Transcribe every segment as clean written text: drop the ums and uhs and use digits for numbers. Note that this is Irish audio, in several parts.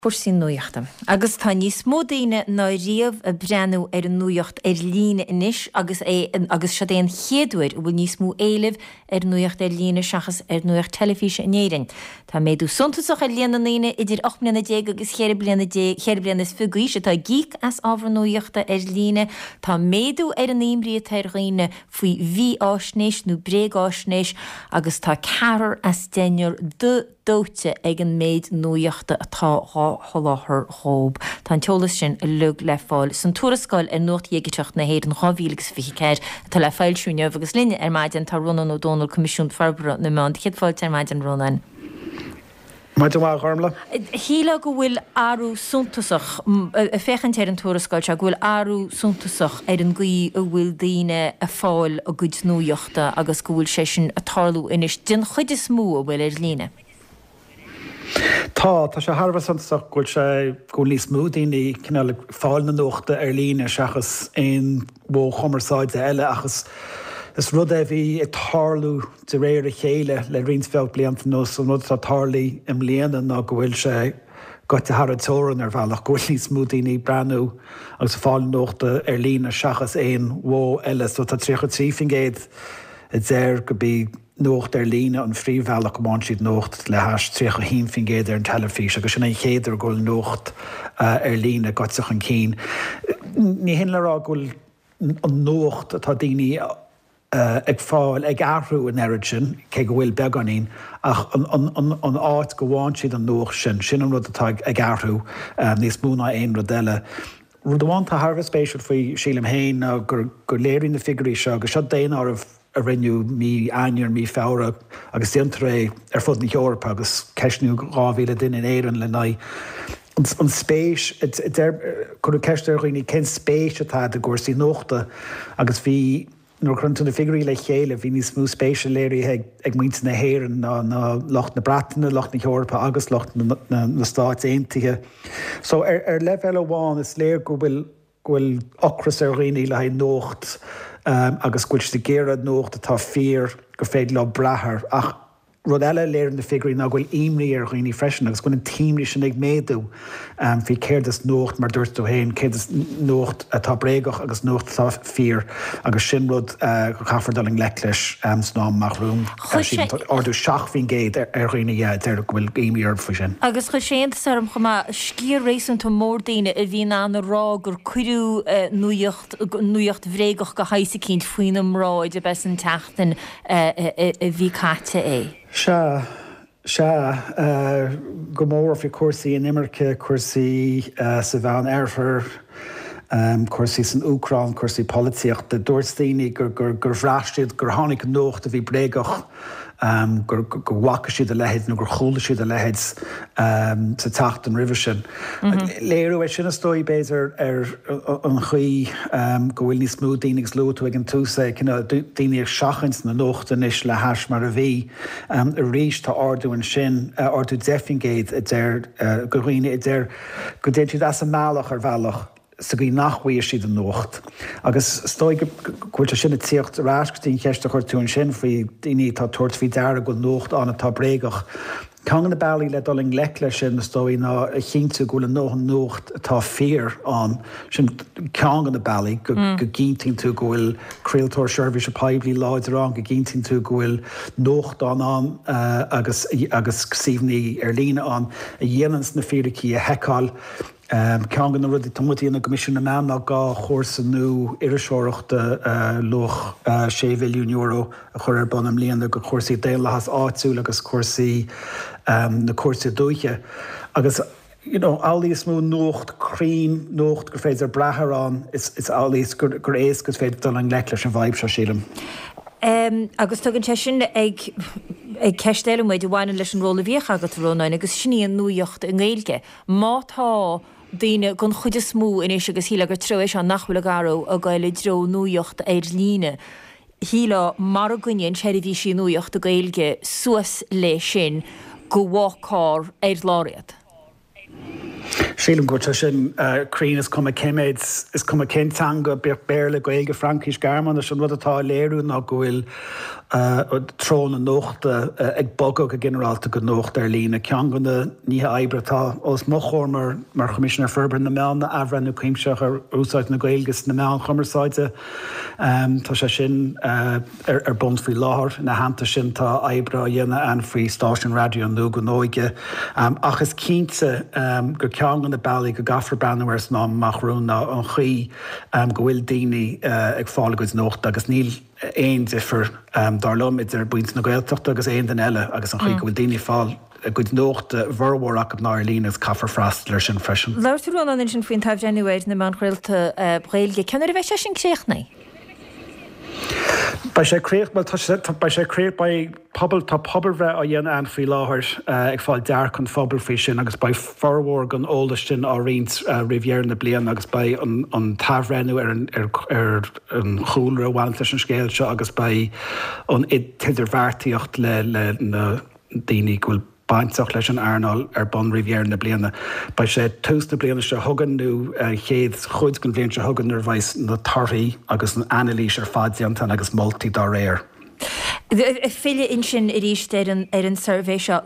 Cúrsaí nuachta. Agus tá níos mó daoine ná riamh ag breathnú ar an nuacht ar líne anois agus é agus seod é an chéad uair a bhfuil níos mó éilimh ar nuacht ar líne seachas ar nuacht teilifíse in Éirinn. Tá méadú suntasach ar líon na ndaoine idir 18 mbliana agus 24 bliana 24 bliana d'aois atá ag íoc as ábhar nuachta ar líne. Tá méadú ar an imní atá ar dhaoine faoi mhífháisnéis nó bréagáisnéis agus tá ceathrar as deichniúr dóite ag an méid nuachta atá dhá sholáthar dhób. Tá an t-eolas sin uilig le fáil san tuarascáil ar Nuacht Dhigiteach na hÉireann 2024 atá le foilsiú inniu agus linn ar maidin tá Rónán Ó Domhnaill, Coimisiún Forbartha na Meán. Céad fáilte ar maidin, a Rónáin. Maidin mhaith, a Ghormlaith. Shílfeá go bhfuil athrú suntasach, ag féachaint ar an tuarascáil seo, go bhfuil athrú suntasach ar an gcaoi a bhfuil daoine ag fáil a gcuid nuachta. agus go bhfuil sé sin ag tarlú anois den chuid is mó a bhfuil ar líne. Tá, tá sé thar a bheith suntasach go bhfuil sé, go bhfuil níos mó daoine cineál ag fáil na nuachta ar líne seachas aon mhodh chumarsáide eile ach is, is rud é a bhí ag tarlú de réir a chéile le roinnt bheag blianta anuas. An rud atá tarlaithe i mbliana ná go bhfuil sé gaibhte thar an teorainn ar bhealach, go bhfuil níos mó daoine ag breathnú agus ag fáil nuachta ar líne seachas aon mhodh eile. So tá 33% a deir gurb í nuacht ar líne an phríomhbhealach go bhfaigheann siad nuacht le hais 31% ar an teilifís agus sin an chéad uair go bhfuil nuacht ar líne gaibhte chun cinn. Ní hin le rá go bhfuil an nuacht atá daoine ag fáil ag athrú an oiread sin, cé go bhfuil beagáinín, ach an áit go bhfaigheann siad an nuacht sin, sin an rud atá ag athrú níos mó ná aon rud eile. Rud amháin atá thar a bheith spéisiúil faoi, sílim féin, ná gur léirigh na figiúirí seo, agus seo daonáireamh a rinneadh mí Eanáir, mí Feabhra, agus déantar é ar fud na hEorpa agus ceistníodh 2,000 duine in Éirinn lena aghaidh an spéis, cuireadh ceist ar dhaoine cén spéis atá agat i gcúrsaí nuachta agus bhí Nuair a chuireann tú na figiúirí le chéile, bhí níos mó spéise léirithe ag muintir na hÉireann ná lucht na Breataine, lucht na hEorpa agus lucht na Stáit Aontaithe. So ar ar leibhéal amháin is léir go bhfuil go bhfuil ocras ar dhaoine le haghaidh nuacht agus go bhfuil siad ag iarraidh nuacht atá fíor, gur féidir leo brath air. Ach Rud eile a léiríonn na figiúirí ná go bhfuil imní ar dhaoine freisin agus go bhfuil an t-imní sin ag méadú faoi céard is nuacht, mar dúirt tú féin, céard is nuacht atá bréagach agus nuacht atá fíor agus sin rud go caithfear dul i ngleic leis san am amach romhainn. Sílim tá ardú 7% ar dhaoine a deir go bhfuil imní orthu faoi sin. Agus chuir sé iontas orm chomh maith sciar réasúnta mór daoine a bhí in ann a rá gur cuireadh nuacht, nuacht bhréagach de shaghas eicínt faoina mbráid ab é san tseachtain a bhí caite é. Sea, sea, go mór faoi chúrsaí inimirce, cúrsaí sa Mheán Oirthear, cúrsaí san Úcráin, cúrsaí polaitíochta. Dúirt daoine gur bhraith siad gur tháinig nuacht a bhí bréagach, gur go bhfaca siad a leithéid nó gur chuala siad a leithéid sa tseachtain roimhe sin. Léiriú é sin is dóigh, b'fhéidir, ar an chaoi go bhfuil níos mó daoine, agus luaigh tú ag an tús é, cineál daoine ag seachaint na nuachta anois le hais mar a bhí. Arís tá ardú ansin, ardú 10% a deir go dhaoine a deir go dtéann siad as a mbealach ar bhealach sa gcaoi nach bhfaigheann siad an nuacht. Agus is dóigh go bhfuil sé sin ag tíocht ar ais go dtí an cheist a chuir tú ansin faoi daoine atá ag tabhairt faoi deara go bhfuil nuacht ann atá bréagach. Ceann de na bealaí le dul i ngleic leis sin, is dóigh, ná a chinntiú go bhfuil a ndóthain nuacht atá fíor ann. Sin ceann de na bealaí, go gcinntíonn tú go bhfuil craoltóir seirbhíse poiblí láidir ann, go gcinntíonn tú go bhfuil nuachtáin ann agus agus suíomhanna ar líne ann a dhéananns na fíricí a sheiceáil. Ceann de na rudaí atá muid a dhéanamh i gCoimisiún na Meán ná 2 chúrsa nua iriseoireachta luach €6 mhilliún a chur ar bun i mbliana do chúrsaí daonlathas áitiúil agus cúrsaí na cúirte dúiche. Agus you know amhlaidh is mó nuacht cruinn, nuacht gur féidir brath air ann, is amhlaidh is gur éasca is féidir dul i ngleic leis an bhfadhb seo, sílim. Agus tugann sé sin ag ag ceist eile muid a bhaineann leis an ról a bhíodh agat, a Rónáin, agus sin í an nuacht i nGaeilge. Má tá daoine, den chuid is mó anois, agus shílfeá gur treo é seo nach bhfuil ag athrú, ag goil i dtreo nuacht ar líne, shílfeá mara gcoinníonn seirbhísí nuachta Gaeilge suas le sin go bhfágfar ar lár iad. Sílim go bhfuil sé sin cruinn, is cuma cé méid, is cuma cén teanga, bíodh Béarla, Gaeilge, Fraincis, Gearmáinis, an rud atá á léiriú ná go bhfuil treo na nuachta ag bogadh go ginearálta go nuacht ar líne. Ceann de na nithe oibre atá os mo chomhair mar mar Choimisinéir Forbartha na Meán ná athbhreithniú cuimsitheach ar úsáid na Gaeilge sna meáin chumarsáide. Tá sé sin. ar bun faoi láthair. Ina theannta sin, tá oibre á dhéanamh ann faoi stáisiún raidió nua don óige. Ach is cinnte gur ceann de na bealaí go gcaithfear breathnú air san am amach romhainn ná an chaoi go bhfuil daoine ag fáil a gcuid nuachta agus níl aon difear, dar liom, idir muintir na Gaeltachta agus aon duine eile agus an chaoi go bhfuil daoine ag fáil a gcuid nuachta, a bhformhór acu ná ar líne agus caithfear freastal air sin freisin. Labhair tú, Rónán, ansin faoin t-athbhreithniú ar na meáin chraolta Ghaeilge. Cén uair a bheidh sé sin críochnaithe? Beidh sé críoch, bhuel tá sé, beidh sé críoch, beidh pobal, tá pobalbhreith á dhéanamh ann faoi láthair ag fáil dearcadh an phobail faoi sin agus beidh formhór den eolas sin á roinnt roimh dheireadh na bliana agus beidh an an t-athbhreithniú ar an ar ar an chúlra a bhaineanns leis an scéal seo agus beidh an t-idirbheartaíocht le le na daoine go bhfuil bainteach leis an earnáil ar bun roimh dheireadh na bliana. Beidh sé tús na bliana seo chugainn nó an chéad chuid den bhliain seo chugainn nuair a bheidh na torthaí agus an anailís ar fad déanta agus moltaí dá réir. Filleadh ansin arís ar an ar an suirbhé seo.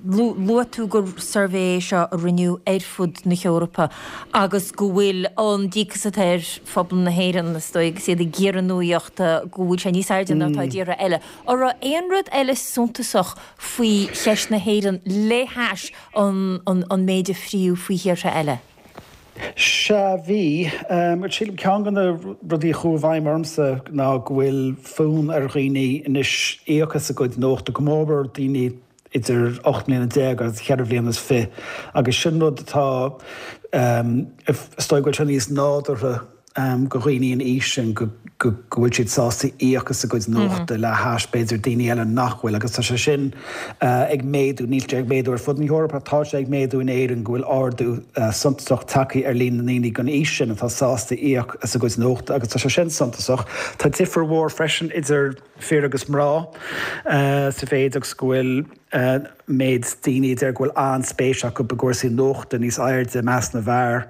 Luaigh tú gur suirbhé é seo a rinneadh ar fud na hEorpa agus go bhfuil an díocas atá ar phobal na hÉireann, is dóigh, agus iad ag iarraidh nuaíochta, go bhfuil sé níos airde ná atá i dtíortha eile. An raibh aon rud eile suntasach faoi cheist na hÉireann le hais an méid a fríodh faoi thíortha eile? Sea, bhí. Sílim, ceann de na rudaí a chuaigh i bhfeidhm ormsa ná go bhfuil fonn ar dhaoine anois íoc as a gcuid nuachta, go mórmhór daoine idir 18 mbliana agus cheithre bhliana is fi', agus sin rud atá, is dóigh go bhfuil sé níos nádúrtha do dhaoine an aois sin go bhfuil siad sásta íoc as a gcuid nuachta le hais b'fhéidir daoine eile nach bhfuil agus tá sé sin ag méadú, níl sé ag méadú ar fud na hEorpa ach tá sé ag méadú in Éirinn go bhfuil ardú suntasach tagtha ar líon na ndaoine den aois sin atá sásta íoc as a gcuid nuachta agus tá sé sin suntasach. Tá difear mhór freisin idir fir agus mná sa mhéid agus go bhfuil méid daoine a deir go bhfuil an-spéis acu i gcúrsaí nuachta níos airde i measc na bhfear,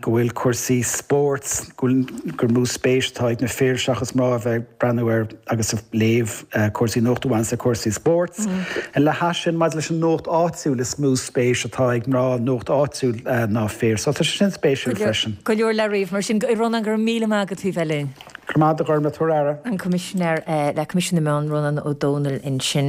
go bhfuil cúrsaí spóirt, go bhfuil, gur mó spéis atá ag na fir seachas mná a bheith ag breathnú ar agus ag léamh cúrsaí nuachta a bhaineanns le cúrsaí spóirt. Le hais sin, maidir leis an nuacht áitiúil, is mó spéis atá ag mná i nuacht áitiúil ná fir. So tá sé sin spéisiúil freisin. Go leor le ríomh mar sin. Rónán, go raibh míle maith agat faoi bheith linn. Go raibh maith agat, a Ghormfhlaith, tabhair aire. An Coimisinéir le Coimisiún na Meán, Rónán Ó Domhnaill ansin.